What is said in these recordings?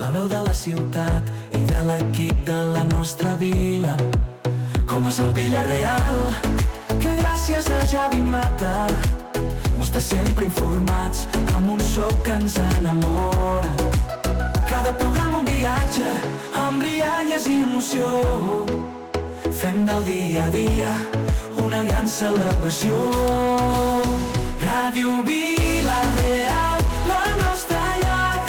la veu de la ciutat i de l'equip de la nostra vila. Com és el Villarreal, que gràcies a Javi Mata mos té sempre informats amb un so que ens enamora. Cada programa un viatge amb rialles i emoció. Fem del dia a dia una gran celebració. Ràdio Vila-real, la nostra llar,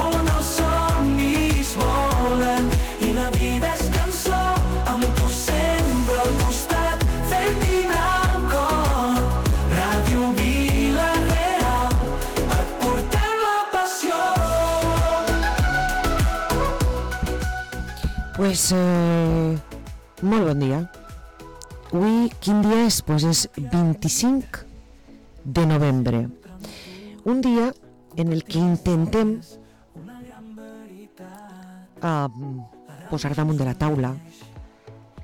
on els somnis volen i la vida és cançó, amb tu sempre al costat, fent vibrar el cor. Ràdio Vila-real, et portem la passió. Pues, molt bon dia. Avui, quin dia és? Pues és 25 de novembre. Un dia en el que intentem posar damunt de la taula,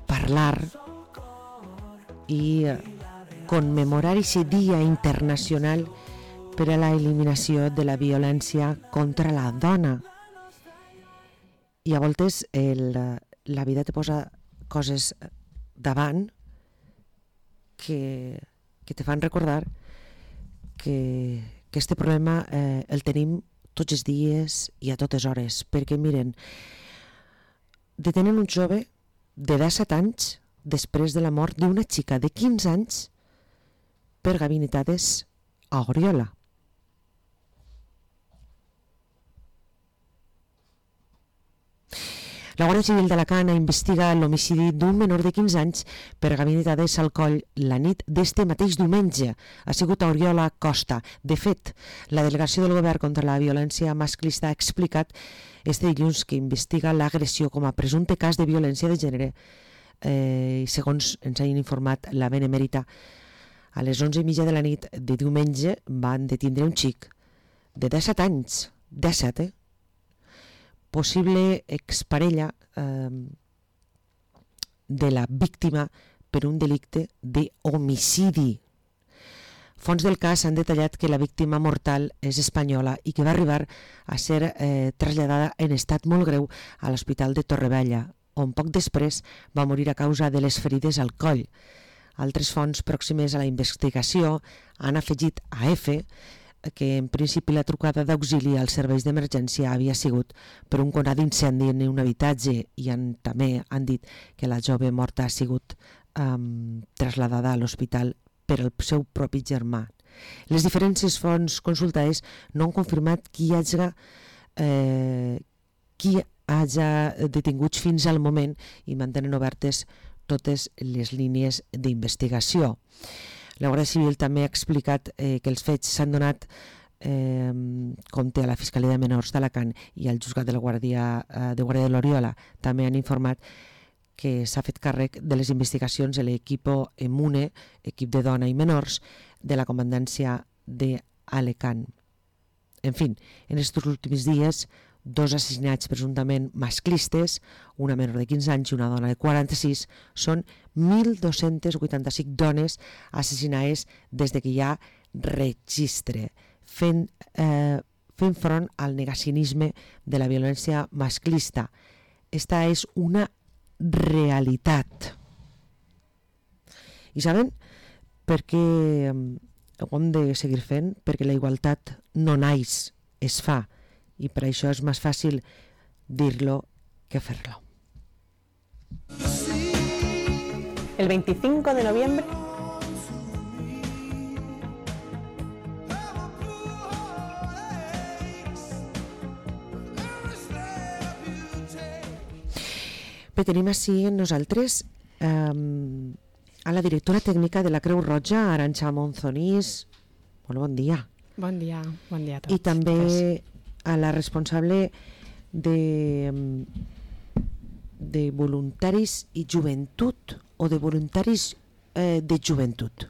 parlar i commemorar aquest dia internacional per a la eliminació de la violència contra la dona. I a voltes la vida te posa coses davant que te fan recordar que este problema el tenim tots els dies i a totes hores, perquè miren, detenen un jove de 17 anys després de la mort d'una xica de 15 anys per gabinetades a Oriola. La Guàrdia Civil d'Alacant investiga l'homicidi d'un menor de 15 anys per gabinetades al coll la nit d'este mateix diumenge. Ha sigut a Oriola Costa. De fet, la delegació del govern contra la violència masclista ha explicat este dilluns que investiga l'agressió com a presumpte cas de violència de gènere. Segons ens han informat la Benemèrita, a les 11:30 de la nit de diumenge van detindre un xic de 17 anys. 17, possible exparella de la víctima per un delicte d'homicidi. Fons del cas han detallat que la víctima mortal és espanyola i que va arribar a ser traslladada en estat molt greu a l'Hospital de Torrevella, on poc després va morir a causa de les ferides al coll. Altres fonts pròximes a la investigació han afegit a F que en principi la trucada d'auxili als serveis d'emergència havia sigut per un conat d'incendi en un habitatge i també han dit que la jove morta ha sigut trasladada a l'hospital per al seu propi germà. Les diferents fonts consultades no han confirmat qui hagi detinguts fins al moment i mantenen obertes totes les línies d'investigació. La Guàrdia Civil també ha explicat que els fets s'han donat compte a la Fiscalia de Menors d'Alacant i al Juzgat de Guàrdia de l'Oriola. També han informat que s'ha fet càrrec de les investigacions de l'equip EMUNE, equip de dona i menors, de la comandància d'Alacant. En fi, en aquests últims dies, 2 assassinats presumptament masclistes, una menor de 15 anys i una dona de 46, són 1.285 dones assassinades des que hi ha registre, fent front al negacionisme de la violència masclista. Esta és una realitat. I saben per què ho hem de seguir fent? Perquè la igualtat no naix, es fa. I per això és més fàcil dir-lo que fer-lo. El 25 de noviembre Bé, tenim així amb nosaltres a la directora tècnica de la Creu Roja, Arantxa Monzonís. Molt bon dia. Bon dia a tots. I també a la responsable de voluntaris i joventut o de voluntaris de joventut.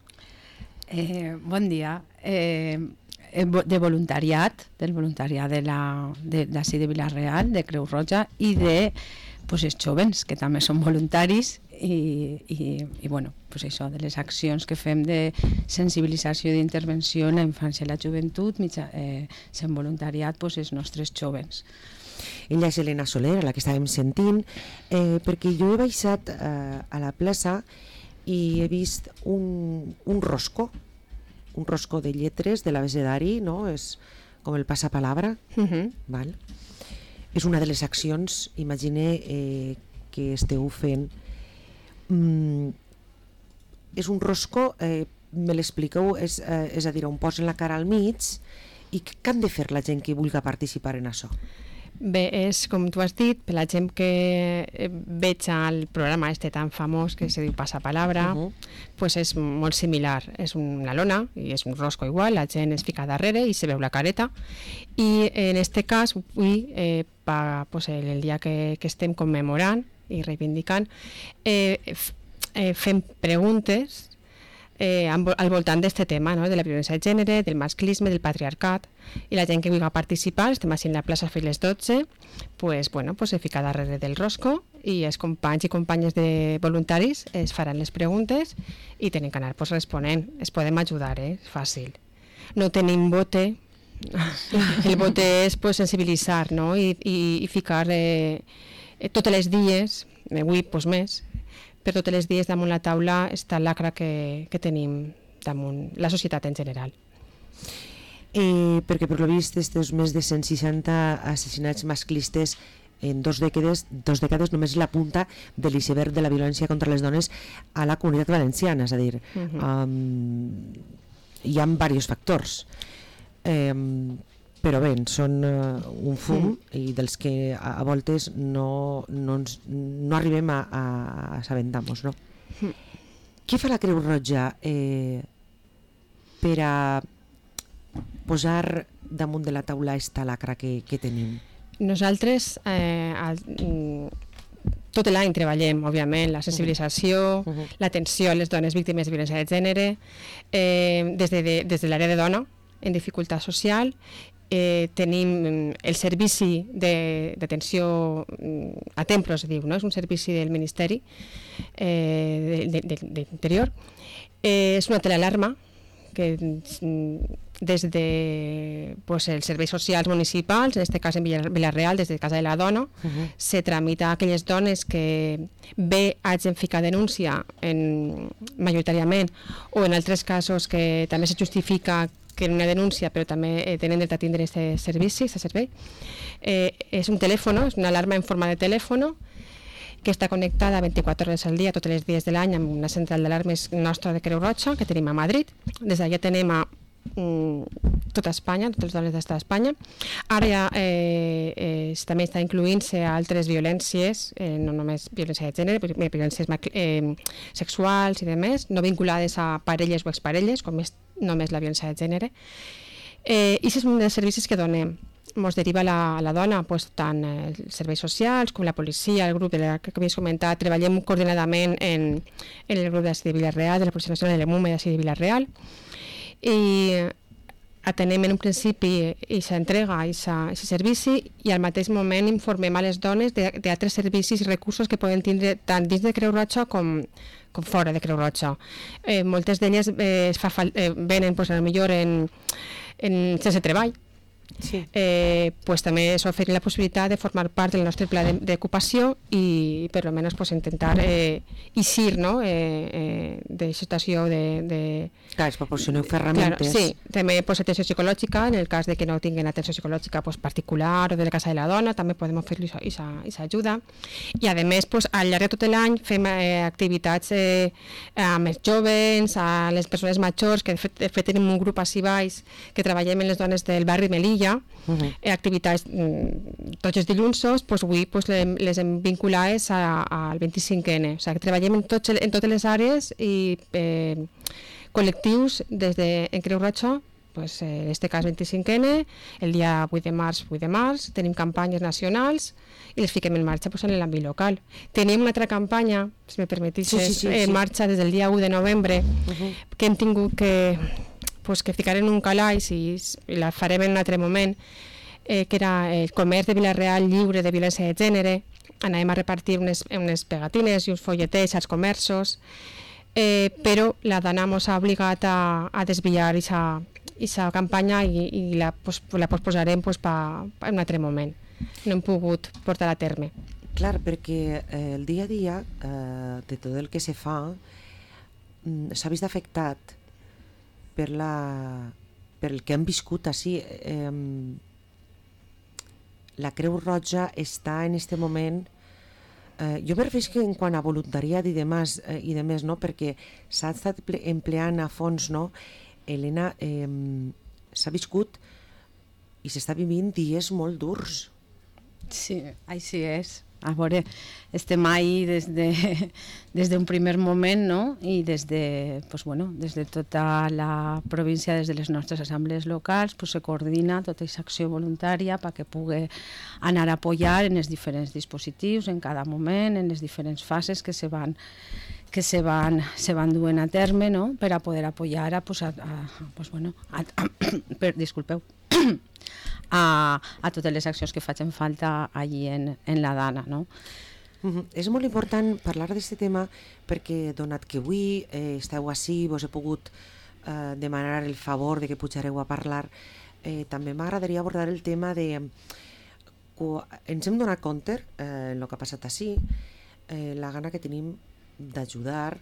Bon dia. De voluntariat, del voluntariat d'ací de Vila-real, de Creu Roja, i de els jovens, que també són voluntaris, i bueno, això, de les accions que fem de sensibilització i d'intervenció en la infància i la joventut, sent voluntariat els nostres jovens. Ella és Elena Soler, la que estàvem sentint, perquè jo he baixat a la plaça i he vist un rosco de lletres de l'abecedari, no? És com el passapalabra. Val? És una de les accions, imagine, que esteu fent. És un rosco, me l'expliqueu, és a dir, on posen la cara al mig, i què han de fer la gent que vulgui participar en això? Bé, és com tu has dit, per la gent que veig el programa tan famós que se diu Passapalabra, pues és molt similar. És una lona i és un rosco igual, la gent es fica darrere i se veu la careta. I en este cas, avui, pues el dia que estem commemorant i reivindicant, fem preguntes al voltant d'aquest tema, no? De la violència de gènere, del masclisme, del patriarcat, i la gent que vulgui participar, estem així en la plaça fins les 12, pues, se fica darrere del rosco i els companys i companyes de voluntaris es faran les preguntes i tenen que anar responent. Es podem ajudar, és fàcil. No tenim vote, el vote és sensibilitzar, no? I ficar totes les dies, avui més, per tots els dies damunt la taula està l'acra que tenim damunt la societat en general. Perquè per lo vist estos més de 160 assassinats masclistes en dos dècades només la punta de l'iceberg de la violència contra les dones a la Comunitat Valenciana, és a dir, hi ha diversos factors, però bé, són un fum i dels que a voltes no arribem a assabentar-nos, no? Què fa la Creu Roja per a posar damunt de la taula esta lacra que tenim? Nosaltres tot l'any treballem, òbviament, la sensibilització, l'atenció a les dones víctimes de violència de gènere, des de l'àrea de dona en dificultat social. Tenim el servici d'atenció a templos, es diu, no? És un servici del Ministeri d'Interior. És una telealarma que des de els serveis socials municipals, en aquest cas en Vila-real, des de Casa de la Dona, se tramita a aquelles dones que bé hagin ficat denúncia majoritàriament, o en altres casos que també se justifica que en una denúncia, però també tenen dret a tindre aquest servei. És un telèfon, és una alarma en forma de telèfon que està connectada 24 hores al dia, tots els dies de l'any, amb una central d'alarmes nostra de Creu Roja, que tenim a Madrid. Des d'allà tenem a tota Espanya, totes les dones d'Espanya. Ara ja també està incloent-se altres violències, no només violència de gènere, violències sexuals i demés, no vinculades a parelles o exparelles, com és només la violència de gènere. I és un dels servicis que donem. Ens deriva la dona, tant els serveis socials com la policia, el grup que havies comentat. Treballem coordinadament en el grup de Vila-real, de la Policia Nacional de l'EMUME de Vila-real, i atenem en un principi aquesta entrega, aquest servici, i al mateix moment informem a les dones d'altres servicis i recursos que poden tindre tant dins de Creu Roja com fora de Creu Roja. Moltes d'elles venen potser sense treball. També s'ofereix la possibilitat de formar part del nostre pla d'ocupació i per almenys intentar eixir de situació de... Clar, es proporcioneu ferramentes. Sí, també atenció psicològica, en el cas que no tinguin atenció psicològica particular o de la Casa de la Dona, també podem oferir aquesta ajuda. I a més, al llarg de tot l'any fem activitats amb els joves, a les persones majors, que de fet tenim un grup així baix que treballem en les dones del barri Melilla, activitats tots els dilluns, avui les hem vinculades al 25N. O sigui, que treballem en totes les àrees i col·lectius en Creu Roja, en aquest cas 25N, el dia 8 de març, tenim campanyes nacionals i les fiquem en marxa en l'àmbit local. Tenim una altra campanya, si me permetixes, en marxa des del dia 1 de novembre, que hem tingut que ficar en un calaix i la farem en un altre moment, que era el comerç de Vila-real lliure de violència de gènere. Anàvem a repartir unes pegatines i uns folletets als comerços, però la dona ens ha obligat a desviar aquesta campanya i la posposarem en un altre moment. no hem pogut portar a terme. Clar, perquè el dia a dia de tot el que se fa s'ha vist afectat per el que hem viscut així. La Creu Roja està en aquest moment... jo me refereixo en quant a voluntariat i demés, no? Perquè s'ha estat empleant a fons, no? Helena, s'ha viscut i s'està vivint dies molt durs. Sí, així és. A veure, estem ahí des d'un primer moment, no? I des de tota la província, des de les nostres assemblees locals, se coordina tota aquesta acció voluntària perquè pugui anar a apoyar en els diferents dispositius, en cada moment, en les diferents fases que se van duent a terme, no? Per a poder apoyar disculpeu, a totes les accions que facin falta allí en la Dana, no? És molt important parlar d'aquest tema perquè, donat que avui esteu ací, vos he pogut demanar el favor de que pujareu a parlar, també m'agradaria abordar el tema de... Ens hem donat compte, en el que ha passat ací, la gana que tenim d'ajudar,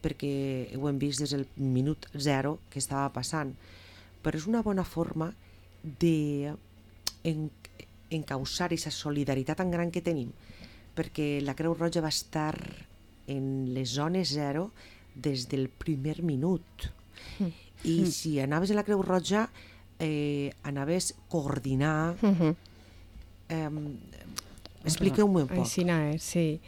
perquè ho hem vist des del minut zero que estava passant, però és una bona forma d'encausar aquesta solidaritat tan gran que tenim, perquè la Creu Roja va estar en les zones zero des del primer minut. I si anaves a la Creu Roja, anaves a coordinar... Expliqueu-me un poc. Així és, sí.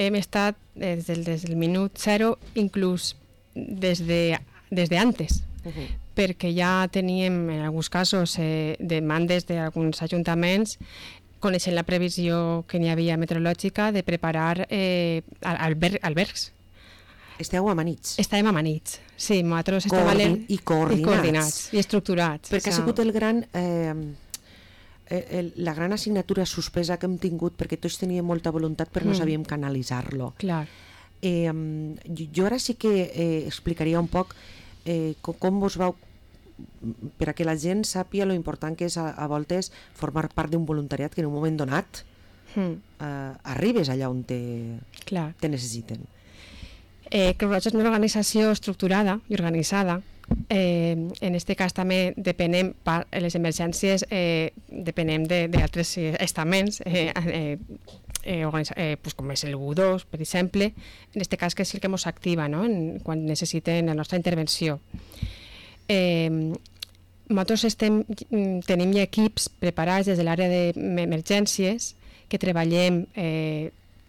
Hem estat des del minut zero, inclús des de antes, perquè ja teníem en alguns casos demandes d'alguns ajuntaments, coneixent la previsió que n'hi havia meteorològica, de preparar albergs. Esteu amanits. Estàvem amanits, sí, nosaltres estàvem coordinats i estructurats. Perquè ha sigut la gran assignatura suspesa que hem tingut, perquè tots teníem molta voluntat però no sabíem canalitzar-lo. Clar. Jo ara sí que explicaria un poc com vos vau, per a que la gent sàpia lo important que és a voltes formar part d'un voluntariat que en un moment donat arribes allà on te necessiten. Creu Roja és una organització estructurada i organitzada. En aquest cas també depenem, per les emergències, depenem d'altres estaments, com és el U2, per exemple, en aquest cas que és el que ens activa, no? Quan necessiten la nostra intervenció. Nosaltres tenim ja equips preparats des de l'àrea d'emergències que treballem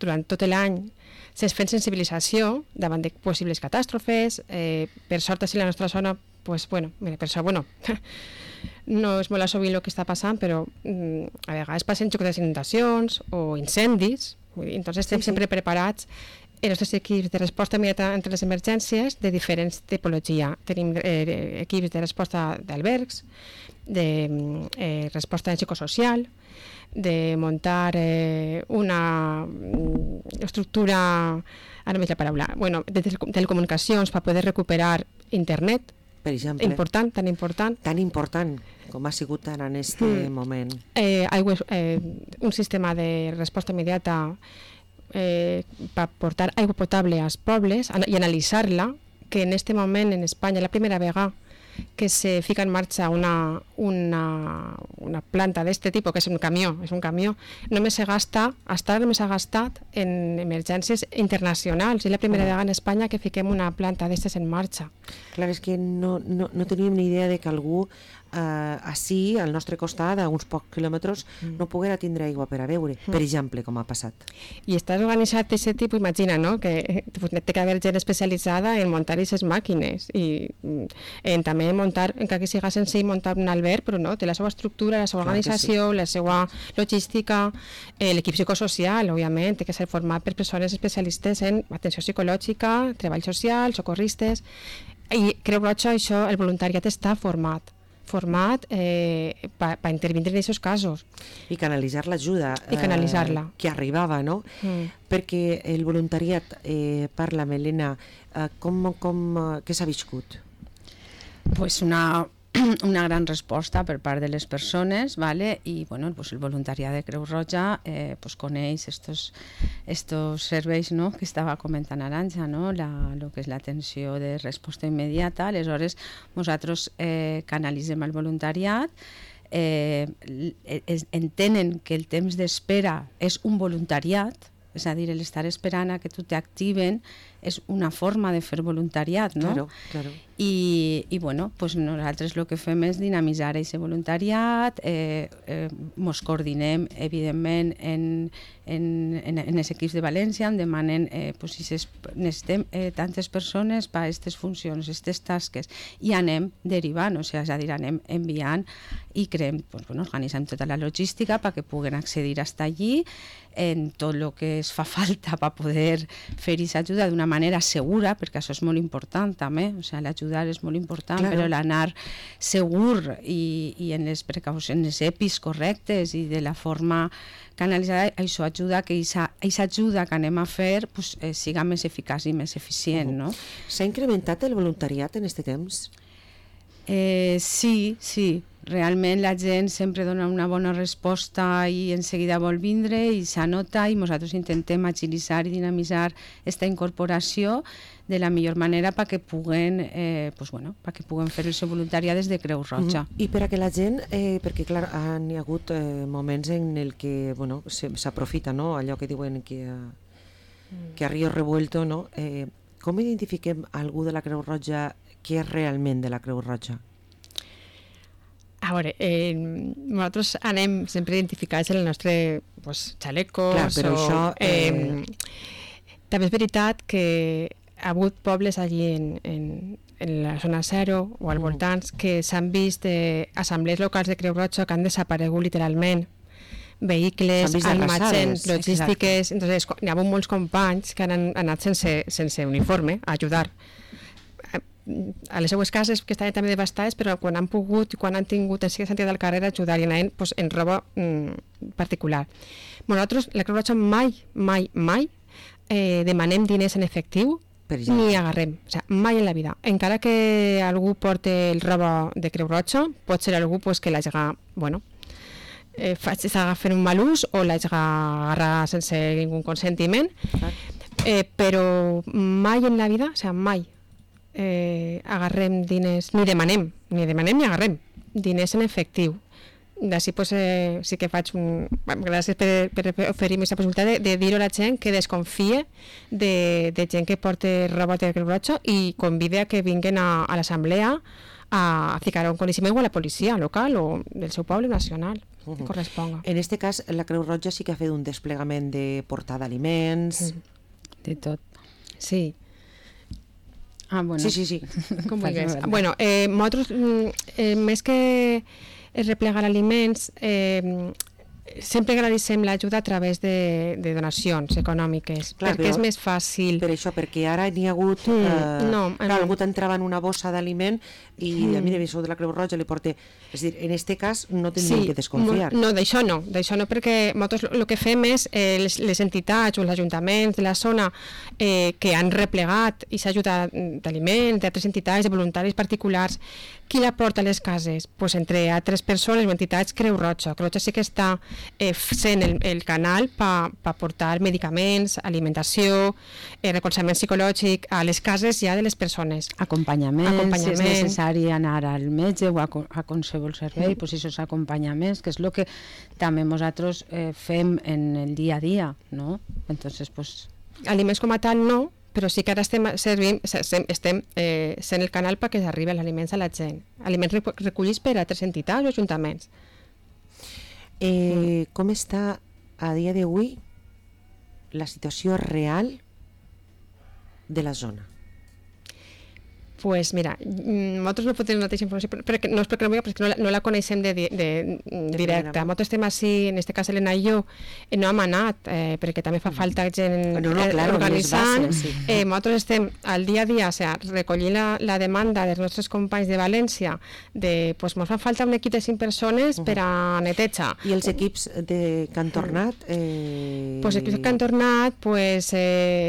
durant tot l'any fent sensibilització davant de possibles catàstrofes. Per sort, així la nostra zona, no és molt sovint el que està passant, però a vegades passen xocs d'inundacions o incendis, entonces estem sempre preparats. Els nostres equips de resposta immediata entre les emergències de diferents tipologia. Tenim equips de resposta d'albergs, de resposta psicosocial, de muntar una estructura, ara no veig la paraula, de telecomunicacions per poder recuperar internet, per exemple, tan important com ha sigut en aquest moment. Un sistema de resposta immediata per portar aigua potable als pobles i analitzar-la, que en aquest moment en Espanya la primera vegada que se fica en marxa una planta d'aquest tipus, que és un camió, només s'ha gastat en emergències internacionals. És la primera vegada en Espanya que fiquem una planta d'aquestes en marxa. Clar, és que no teníem ni idea de que algú ací, al nostre costat, a uns pocs quilòmetres, no poguera tindre aigua per a beure, per exemple, com ha passat. I estàs organitzat d'aquest tipus, imagina, no? Que té que haver gent especialitzada en muntar aquestes màquines i en també muntar, encara que siga senzill, muntar un alberg, però no, té la seva estructura, la seva organització, la seva logística, l'equip psicosocial, òbviament, té que ser format per persones especialistes en atenció psicològica, treball social, socorristes, i Creu Roja, això, el voluntariat està format per intervindre en aquests casos. I canalitzar l'ajuda que arribava, no? Perquè el voluntariat, parla, Helena, què s'ha viscut? Pues una una gran resposta per part de les persones, ¿vale? I bueno, pues el voluntariat de Creu Roja pues coneix estos serveis, no?, que estava comentant Arantxa, no?, lo que és l'atenció de resposta immediata. Aleshores nosaltres canalitzem el voluntariat, entenen que el temps d'espera és un voluntariat, és a dir, l'estar esperant a que tu t'activen és una forma de fer voluntariat, no? Claro, claro. I bueno, pues nosaltres el que fem és dinamitzar aquest voluntariat, mos coordinem, evidentment, en els equips de València, em demanen pues, si necessitem tantes persones per a aquestes funcions, aquestes tasques, i anem derivant, o sigui, és a dir, anem enviant i creem, pues, bueno, organitzem tota la logística perquè puguen accedir fins allí en tot el que es fa falta per poder fer aquesta ajuda d'una manera segura, perquè això és molt important també, o sigui, l'ajudar és molt important, claro. Però l'anar segur i en les precaucions, en els EPIs correctes i de la forma canalitzada, això ajuda que aquesta ajuda que anem a fer pues, siga més eficaç i més eficient. No? S'ha incrementat el voluntariat en aquest temps? Sí. Realment la gent sempre dona una bona resposta i en seguida vol vindre i s'anota i nosaltres intentem agilitzar i dinamitzar aquesta incorporació de la millor manera perquè puguen, pues bueno, perquè puguen fer el seu voluntariat des de Creu Roja. I per a que la gent, perquè clar, hi ha hagut moments en el que bueno, s'aprofita, no? Allò que diuen que a río revuelto, no? Com identifiquem algú de la Creu Roja que és realment de la Creu Roja? A veure, nosaltres anem sempre identificats en el nostre xalecos. Clar, però això... També és veritat que ha hagut pobles allí en la zona 0 o al voltants que s'han vist assemblees locals de Creu Roja que han desaparegut literalment, vehicles, almacens, logístiques. Entonces, hi ha hagut molts companys que han anat sense uniforme a ajudar a les seues cases, que estaven també devastades, però quan han pogut, quan han tingut en sentit al carrer ajudar i anaven pues, en roba particular. Nosaltres, la Creu Roja, mai demanem diners en efectiu ni agarrem, o sigui, mai en la vida. Encara que algú porte el roba de Creu Roja, pot ser algú pues, que l'hagi, bueno, s'haga fer un mal ús o l'hagi agarrar sense ningú consentiment, però mai en la vida, o sigui, mai agarrem diners, ni demanem ni agarrem diners en efectiu. D'ací pues, sí que faig gràcies per oferir-me aquesta possibilitat de dir-ho a la gent que desconfie de gent que porta roba de Creu Roja i convide a que vinguin a l'assemblea a ficar un coneixement o a la policia local o del seu poble nacional que corresponga. En aquest cas, la Creu Roja sí que ha fet un desplegament de portar d'aliments... De tot. Sí. Bueno. Sí. Com vulguis. Bueno, nosaltres, més que replegar aliments, sempre agradecem l'ajuda a través de donacions econòmiques, clar, perquè és més fàcil. Per això, perquè ara n'hi ha hagut... algú t'entrava en una bossa d'aliment i a mi de sou de la Creu Roja li porta... És a dir, en aquest cas no tindríem que desconfiar. No, d'això no, perquè nosaltres el que fem és les entitats o els ajuntaments de la zona que han replegat i s'ha ajudat d'aliments, d'altres entitats, de voluntaris particulars, qui la porta a les cases? Pues entre altres persones o entitats Creu Roja. Creu Roja sí que està sent el canal per portar medicaments, alimentació, recolzament psicològic a les cases ja de les persones. Acompanyament. Si és necessari anar al metge o a qualsevol servei, pues esos acompanyaments, que és el que també nosaltres fem en el dia a dia, no? Entonces, pues... Aliments com a tal no, però sí que ara estem sent el canal perquè arribi els aliments a la gent. Aliments recollits per altres entitats o ajuntaments. Com està a dia d'avui la situació real de la zona? Pues mira, nosaltres no podem donar aquesta informació, no és perquè no la coneixem directa. Nosaltres estem així, en aquest cas Helena i jo, no hem anat, perquè també fa falta gent organitzant. Nosaltres estem al dia a dia, recollint la demanda dels nostres companys de València, ens fa falta un equip de 5 persones per a neteja. I els equips que han tornat? Els equips que han tornat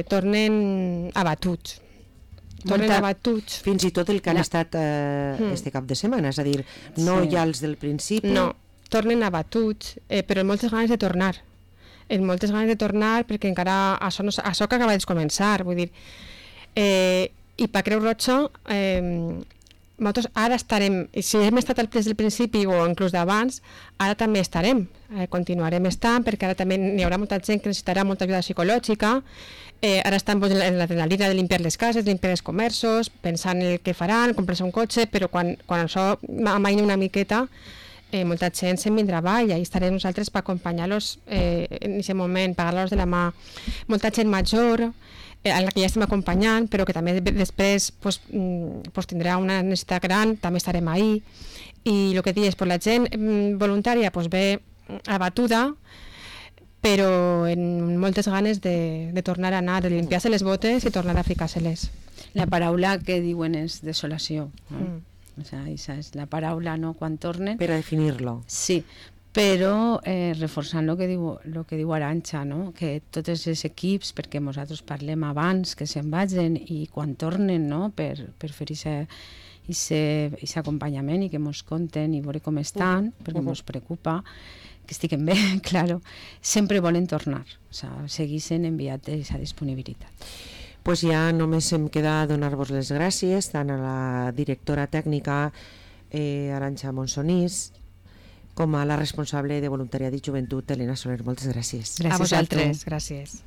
tornen abatuts. tornen abatuts. Fins i tot el que han estat este cap de setmana, és a dir, no ja els del principi. No, tornen abatuts, però amb moltes ganes de tornar. Amb moltes ganes de tornar perquè encara això que acaba de començar, vull dir, i per Creu Roja nosaltres ara estarem, si hem estat des del principi o inclús d'abans, ara també estarem, continuarem estant perquè ara també hi haurà molta gent que necessitarà molta ajuda psicològica, ara estan en l'adrenalina de limpiar les cases, limpiar els comerços, pensant en el que faran, comprar-se un cotxe, però quan això amaina una miqueta, molta gent se'n vindrà avall, i estarem nosaltres per acompanyar-los en aquest moment, pagar-los de la mà. Molta gent major, a la que ja estem acompanyant, però que també després tindrà una necessitat gran, també estarem ahí. I el que dius, la gent voluntària ve abatuda, però amb moltes ganes de tornar a anar, de limpiar-se les botes i tornar a ficar-se-les. La paraula que diuen és desolació, no? O sea, esa és la paraula, no?, quan tornen. Per a definir-lo. Sí, però reforçant el que diu Arantxa, no?, que tots els equips, perquè nosaltres parlem abans que se'n vagin i quan tornen, no?, per fer aquest acompanyament i que ens conten i veure com estan, perquè ens preocupa que estiguen bé, claro, sempre volen tornar, o sigui, segueixen enviat aquesta disponibilitat. Pues ja només em queda donar-vos les gràcies tant a la directora tècnica Arantxa Monsonís com a la responsable de voluntariat i joventut Elena Soler. Moltes gràcies. Gràcies a vosaltres. Gràcies.